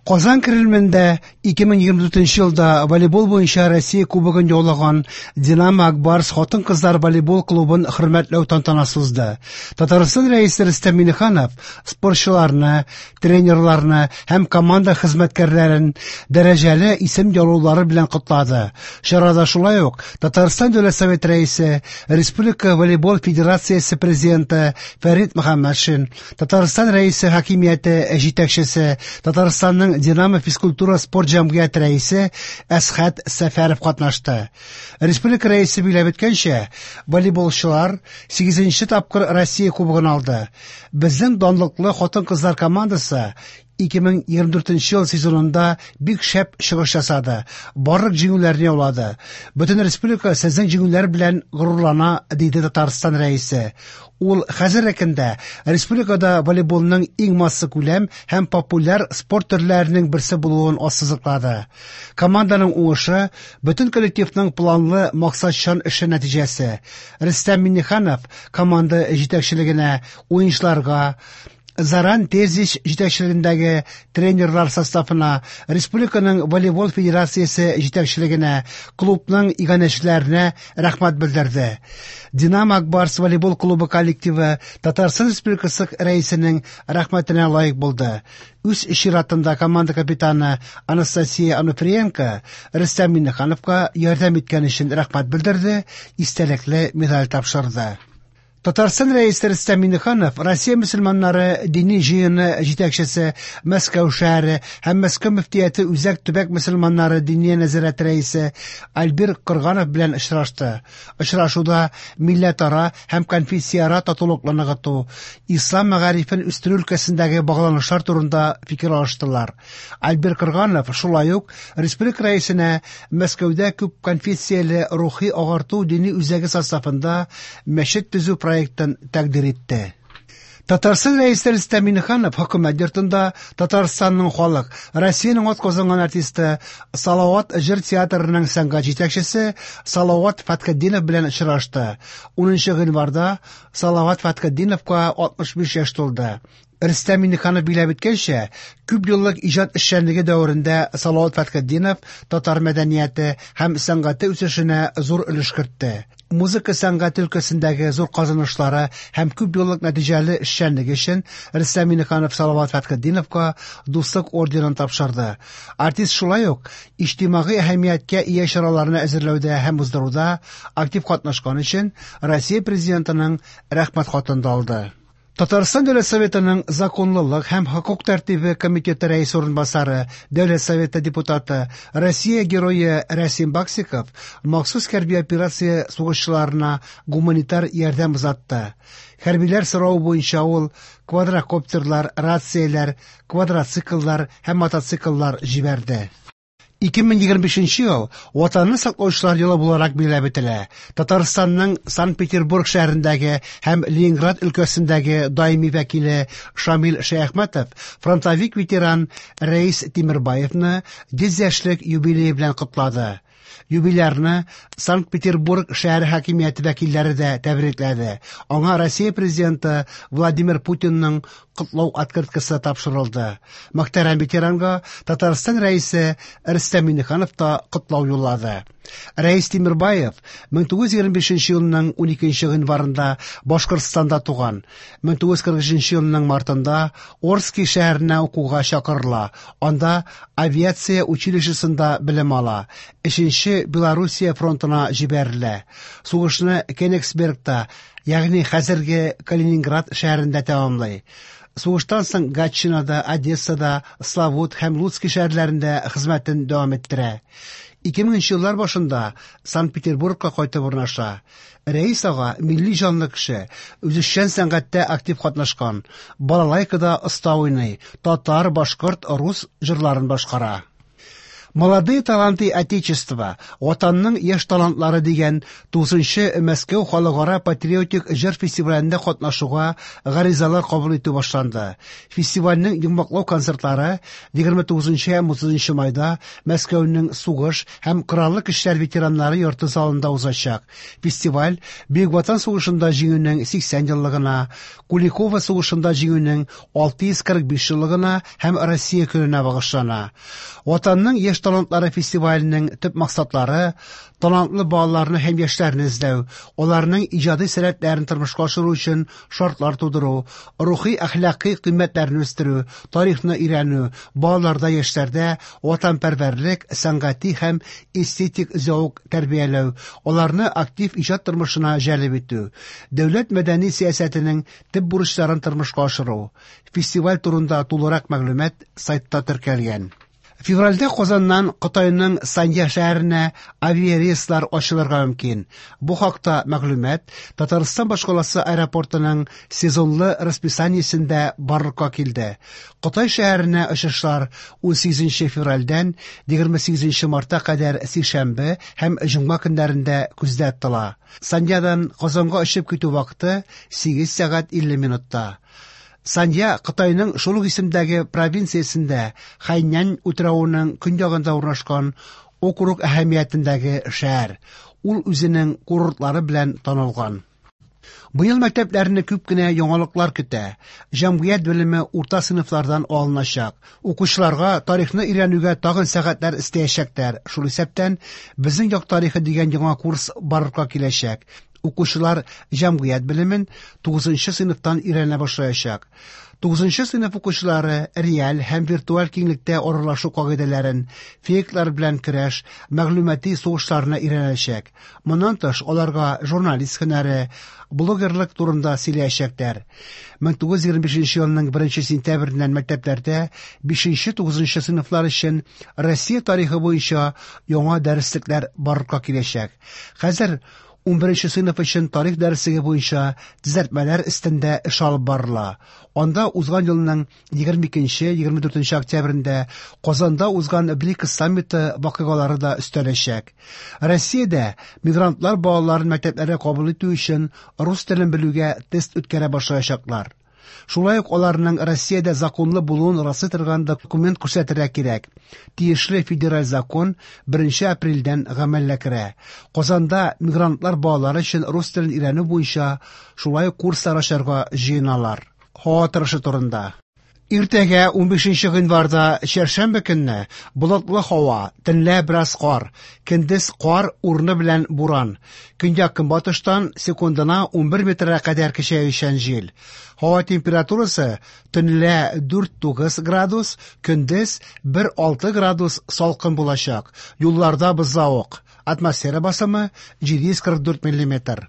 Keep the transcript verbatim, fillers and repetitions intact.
Казан Кремлендә ике мең егерме дүртенче елда волейбол буенча Россия Кубогын яулаган Динамо Акбарс хатын-кызлар волейбол клубын хөрмәтләү тантанасы узды. Татарстан Рәисе Рөстәм Миңнеханов спортчыларны, тренерларны һәм команда хезмәткәрләрен дәрәҗәле исем яулаулары белән котлады. Чарада шулай ук Татарстан Дәүләт Советы Рәисе, Республика волейбол федерациясе президенты Фәрит Мөхәммәтшин, Татарстан Рәисе хакимияте җитәкчесе, Татарстанның Динамо физкультура спорт җәмгыяте рәисе Әсхәт Сәфәров катнашты. Республика рәисе билгеләп үткәнчә, волейболчылар сигезенче тапкыр Россия Кубогын алды. Безнең данлыклы хатын-кызлар командасы ике мең егерме дүртенче ел сезонында бик шәп чыгыш ясады, барлык җиңүләрне яулады. Бөтен республика сезнең җиңүләр белән горурлана, диде Татарстан рәисе. Ул хәзерге көндә республикада волейболның иң массакүләм һәм популяр спорт төрләренең берсе булуын ассызыклады. Команданың уңышы бөтен коллективның планлы максатчан эше нәтиҗәсе. Рөстәм Миңнеханов команда җитәкчелегенә, уенчыларга, Заран Тезич җитәкчелегендәге тренерлар составына, Республиканың волейбол федерациясе җитәкчелегенә, клубның иганәчеләренә рәхмәт белдерде. Динамо Акбарс волейбол клубы коллективы Татарстан Республикасы рәисенең рәхмәтенә лаек булды. Үз чиратында команда капитаны Анастасия Ануфриенко Рөстәм Миңнехановка ярдәм иткән өчен рәхмәт белдерде, истәлекле медаль тапшырды. Татарстан Рәисе Рөстәм Миңнеханов Россия мөселманнары дини җыены җитәкчесе, Мәскәү шәһәре һәм Мәскәү мөфтияте Үзәк төбәк мөселманнары диния нәзарәте рәисе Альбир Кырганов белән очрашты. Очрашуда милләтара һәм конфессияара татулыкны ныгыту, ислам мәгарифен үстерү өлкәсендәге багланышлар турында фикер алыштылар. Альбир Кырганов шулай ук республика рәисенә Мәскәүдә күп конфессияле рухи агарту дини үзәге составында мәчет төзү проектын тәкъдир итте. Татарстан Рәисе Рөстәм Миңнеханов хөкүмәт йортында Татарстанның халык, Россиянең атказанган артисты, Салават җыр театрының сәнгать җитәкчесе Салават Фәтхетдинов белән очрашты. Унынчы гыйнварда Салават Фәтхетдиновка алтмыш биш яшь тулды. Рөстәм Миңнеханов билгеләп үткәнчә, күп еллык иҗат эшчәнлеге дәверендә Салават Фәтхетдинов татар мәдәнияте һәм сәнгате үсешенә зур өлеш кертте. Музыка сәнгате өлкәсендәге зур казанышлары һәм күп еллык нәтиҗәле эшчәнлеге өчен Рөстәм Миңнеханов Салават Фәтхетдиновка Дуслык орденын тапшырды. Артист шулай ук иҗтимагый әһәмияткә ия чараларны әзерләүдә һәм уздыруда актив катнашкан өчен Россия Президентының рәхмәт хатын да алды. Татарстан Дәүләт Советының законлылык һәм хокук тәртибе комитеты рәисе урынбасары, Дәүләт Советы депутаты, Россия герое Рәсим Баксиков махсус хәрби операция сугышчыларына гуманитар ярдәм озатты. Хәрбиләр соравы буенча ул квадрокоптерлар, рацияләр, квадроцикллар һәм мотоцикллар җибәрде. Ике мең егерме бишенче ел Ватанны саклаучылар елы буларак билгеләп үтелә. Татарстанның Санкт-Петербург шәһәрендәге һәм Ленинград өлкәсендәге даими вәкиле Шамил Шәяхмәтов фронтовик ветеран Рәис Тимербаевны йөз яшьлек юбилее белән котлады. Юбилярны Санкт-Петербург шәһәре хакимияте вәкилләре дә тәбрикләде. Аңа Россия президенты Владимир Путинның котлау открыткасы тапшырылды. Мөхтәрәм ветеранга Татарстан рәисе Рөстәм Миңнеханов та котлау юллады. Рәис Тимербаев мең тугыз йөз егерме бишенче елның уникенче гыйнварында Башкортстанда туган. Мең тугыз йөз кырык өченче елның мартында Орски шәһәренә укуга чакырыла. Анда авиация училищесында белем ала. Өченче Белоруссия фронтына җибәрелә. Сугышны Кенигсбергта, ягъни хәзерге Калининград шәһәрендә тәмамлый. Сугыштан соң Гатчинада, Одессада, Славут һәм Луцкий шәһәрләрендә хезмәтен дәвам иттерә. Ике меңенче еллар башында Санкт-Петербургка кайтып урнаша. Рәис ага милли җанлы кеше, үзешчән сәнгатьтә актив катнашкан, балалайкада оста уйный, татар, башкорт, рус җырларын башкара. Молодые таланты Отечества, Ватанның яшь талантлары дигән тугызынчы Мәскәү халыкара патриотик җыр фестивалендә катнашуга гаризалар кабул итү башланды. Фестивальнең йомгаклау концертлары егерме тугызынчы һәм утызынчы майда Мәскәүнең сугыш һәм кораллы көчләр ветераннары йорты залында узачак. Фестиваль Бөек Ватан сугышында җиңүнең сиксән еллыгына, Куликово сугышында җиңүнең алты йөз кырык биш еллыгына һәм Россия көненә багышлана. Ватанның яшь талантлары фестиваленең төп максатлары талантлы балаларны һәм яшьләрне эзләү, аларның иҗади сәләтләрен тормышка ашыру өчен шартлар тудыру, рухи әхлакый кыйммәтләрне үстерү, тарихны өйрәнү, балаларда, яшьләрдә ватанпәрвәрлек, сәнгати һәм эстетик зәвык тәрбияләү, аларны актив иҗат тормышына җәлеп итү, дәүләт мәдәни сәясәтенең төп бурычларын тормышка ашыру. Фестиваль турында тулырак мәгълүмат сайтта теркәлгән. Февральдә Казаннан Кытайның Санья шәһәренә авиарейслар ачылырга мөмкин. Бу хакта мәгълүмат Татарстан башкаласы аэропортының сезонлы расписаниесендә барлыкка килде. Кытай шәһәренә очышлар унсигезенче февральдән егерме сигезенче мартка кадәр сишәмбе һәм җомга көннәрендә күздә тотыла. Саньядан Казанга очып китү вакыты сигез сәгать илле минутта. Санья Кытайның шул ук исемдәге провинциясендә Хайнань утравының көньягында урнашкан округ әһәмиятендәге шәһәр. Ул үзенең курортлары белән танылган. Быел мәктәпләрне күп кенә яңалыклар көтә. Җәмгыять белеме урта сыйныфлардан алыначак. Укучыларга тарихны өйрәнүгә тагын сәгатьләр өстәячәкләр. Шул исәптән Безнең як тарихы дигән яңа курс барлыкка киләчәк. Укучылар җәмгыять белемен тугызынчы сыйныфтан өйрәнә башлаячак. Тугызынчы сыйныф укучылары реаль һәм виртуаль киңлектә аралашу кагыйдәләрен, фейклар белән көрәш, мәгълүмати сугышларны өйрәнәчәк. Моннан тыш, аларга журналист һөнәре, блогерлык турында сөйләячәкләр. Мең тугыз егерме бишенче елның беренче сентябреннән мәктәпләрдә бишенче тугызынчы сыйныфлар өчен Россия тарихы буенча яңа дәреслекләр барлыкка киләчәк. Хәзер унберенче сыйныф өчен тарих дәреслеге буенча төзәтмәләр өстендә эш алып барыла. Анда узган елның егерме икенче, егерме дүртенче октябрендә Казанда узган БРИКС саммиты вакыйгалары да өстәләчәк. Россиядә мигрантлар балаларын мәктәпләргә кабул итү өчен рус телен белүгә тест үткәрә башлаячаклар. Шулай ук аларның Россиядә законлы булуын раслый торган документ күрсәтергә кирәк. Тиешле федераль закон беренче апрельдән гамәлгә керә. Казанда мигрантлар балалары өчен рус телен өйрәнү буенча шулай ук курслар ачарга җыеналар. Һава торышы турында. Иртәгә унбишенче гыйнварда чәршәмбе көнне болытлы һава, төнлә бераз кар, көндез кар урыны белән буран. Көньяк көнбатыштан секундына унбер метрга кадәр көчәючән җил. Һава температурасы төнлә дүрт тугыз градус, көндез бер алты градус салкын булачак. Юлларда бозлавык. Атмосфера басымы җиде йөз кырык дүрт миллиметр.